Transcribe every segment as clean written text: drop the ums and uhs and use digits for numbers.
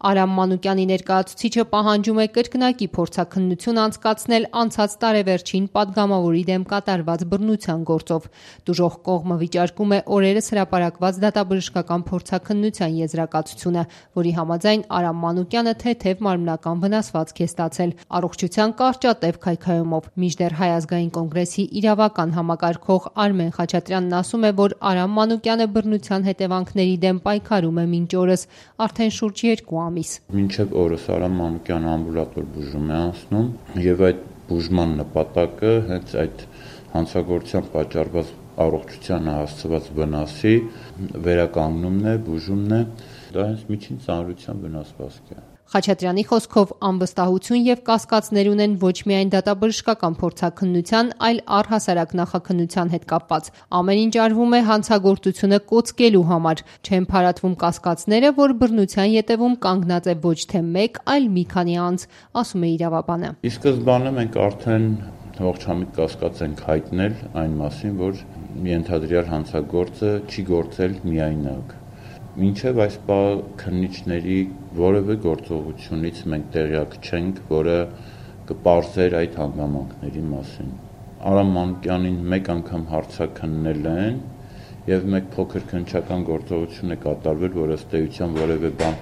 Արամ Մանուկյանի ներկայացուցիչը պահանջում է կրկնակի փորձաքննություն անցկացնել անցած տարեվերջին պատգամավորի դեմ կատարված բռնության գործով։ Տուժող կողմը վիճարկում է օրերս հրապարակված դատաբժշկական փորձաքննության եզրակացությունը, որի համաձայն Արամ Մանուկյանը թեթև մարմնական վնասվածք է ստացել առողջության կարճատև քայքայումով։ Մինչդեռ Հայ ազգային կոնգրեսի իրավական համակարգող Արմեն Խաչատրյանն ասում է, որ Արամ Մանուկյանը բռնության հետևանքների դեմ պայքարում է մինչ օրս արդեն շուրջ 2 ամիս։ Մինչև օրս Արամ Մանուկյանը ամբուլատոր բուժում է անցնում եւ այդ բուժման նպատակը հենց այդ հանցագործության պատճառված առողջությանը հասցված վնասի վերականգնումն է, բուժումն է, դա հենց միջին ծանրության վնասվածք է։ Խաչատրյանի խոսքով անվստահություն եւ կասկածներ ունեն ոչ միայն դատաբժշկական փորձաքննության, այլ առհասարակ նախաքննության հետ կապված։ Ամեն ինչ արվում է հանցագործությունը կոծկելու համար։ Չեն փարատվում կասկածները, որ բռնության ետևում կանգնած է ոչ թե մեկ, այլ մի քանի անձ, ասում է իրավաբանը։ Ի սկզբանե մենք արդեն ողջամիտ կասկած ենք հայտնել այն մասին, որ ենթադրյալ հանցագործը չի գործել միայնակ։ Մինչև այս քննիչների որևէ գործողությունից մենք տեղյակ չենք, որը կպարզեր այդ հանգամանքների մասին։ Արամ Մանուկյանին մեկ անգամ հարցաքննել են եւ մեկ փոքր քննչական գործողություն է կատարվել, որ ըստ էության որևէ բան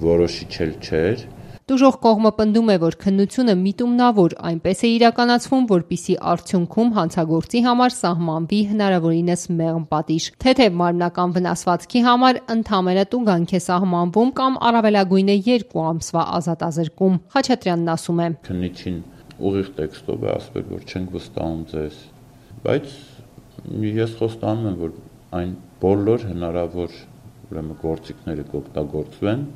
որոշիչել չէր։ Տուժող կողմը պնդում է, որ քննությունը միտումնավոր այնպես է իրականացվում, որպեսզի արդյունքում հանցագործի համար սահմանվի հնարավորինս մեղմ պատիժ։ Թեթև մարմնական վնասվածքի համար ընդամենը տուգանք է սահմանվում կամ առավելագույնը 2 ամսվա ազատազրկում։ Խաչատրյանն ասում է. Քննիչին ուղիղ տեքստով է ասվել, որ չենք վստահում ձեզ, բայց ես խոստանում եմ, որ այն բոլոր հնարավոր գործիքները կօգտագործվեն,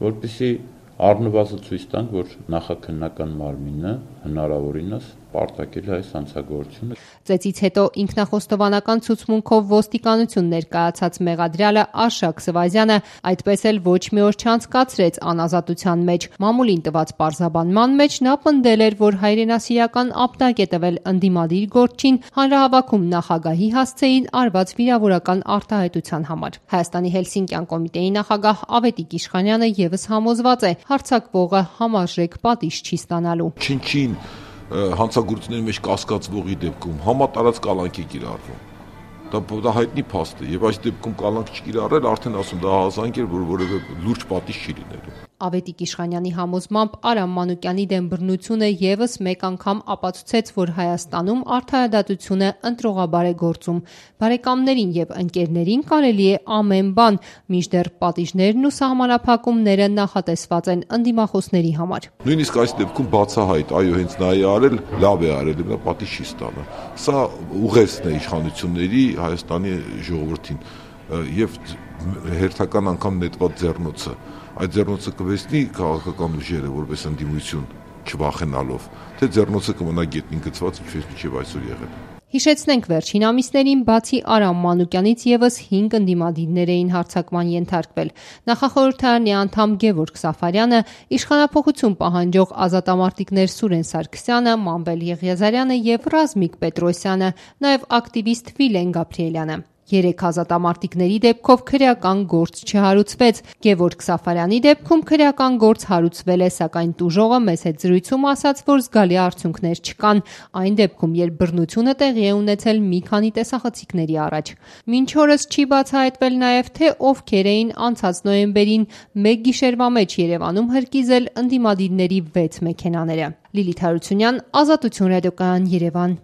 որպեսզի առնվազն ցույց տանք, որ նախաքննական մարմինը հնարավորինս պարտակել է այս հանցագործությունը։ Ծեծից հետո ինքնախոստովանական ցուցմունքով ոստիկանություն ներկայացած մեղադրյալը Արշակ Սվազյանը այդպես էլ ոչ մի օր չանցկացրեց անազատության մեջ։ Մամուլին տված պարզաբանման մեջ նա պնդել էր, որ հայրենասիրական ապտակ է տվել ընդդիմադիր գործչին հանրահավաքում նախագահի հասցեին արված վիրավորական արտահայտության համար։ Հայաստանի Հելսինկյան կոմիտեի նախագահ Ավետիք Իշխանյանը եւս համոզված է, հարձակվողը համարժեք պատիժ չի ստանալու։ Չինչին հանցագործությունների մեջ կասկածվողի դեպքում համատարած կալանք է կիրառվում։ Դա հայտնի փաստ է, եւ այս դեպքում կալանք չկիրառել, արդեն ասում դա հազանգ է, որ որևէ լուրջ պատիժ չի լինելու։ Ավետիք Իշխանյանի համոզմամբ Արամ Մանուկյանի դեմ բռնությունը եւս մեկ անգամ ապացուցեց, որ Հայաստանում արդարադատությունը ընտրողաբար է գործում։ Բարեկամներին եւ ընկերներին կարելի է ամեն բան, մինչդեռ պատիժներն ու սահմանափակումները նախատեսված են ընդդիմախոսների համար։ Նույնիսկ այս դեպքում բացահայտ, այո, հենց նա է արել, լավ է արել, նա պատիժ չի ստանա։ Սա ուղերձն է իշխանությունների Հայաստանի ժողովրդին եւ հերթական անգամ նետված ձեռնոցը։ Այդ ձեռնոցը կվերցնի քաղաքական ուժերը որպես ընդդիմություն չվախենալով, թե ձեռնոցը կմնա գետնին գցված, ինչպես մինչև այսօր եղել։ Հիշեցնենք, վերջին ամիսներին բացի Արամ Մանուկյանից եւս 5 ընդդիմադիրներ էին հարձակման ենթարկվել։ Նախախորհրդարանի անդամ Գևորգ Սաֆարյանը, իշխանափոխություն պահանջող ազատամարտիկներ Սուրեն Սարգսյանը, Մանվել Եղիազարյանը եւ Ռազմիկ Պետրոսյանը, նաեւ ակտիվիստ Վիլեն Գաբրիելյանը։ 3 ազատամարտիկների դեպքով քրեական գործ չհարուցվեց։ Գևորգ Սաֆարյանի դեպքում քրեական գործ հարուցվել է, սակայն տուժողը մեծ հետ զրույցում ասաց, որ զգալի արդյունքներ չկան, այն դեպքում, երբ բռնությունը տեղի է ունեցել մի քանի տեսախցիկների առաջ։ Մինչ օրս չի բացահայտվել նաև, թե ովքեր էին անցած նոյեմբերին մեկ գիշերվա մեջ Երևանում հրկիզել ընդդիմադիրների 6 մեքենաները։ Լիլիթ Հարությունյան, Ազատություն ռադիոկայան, Երևան։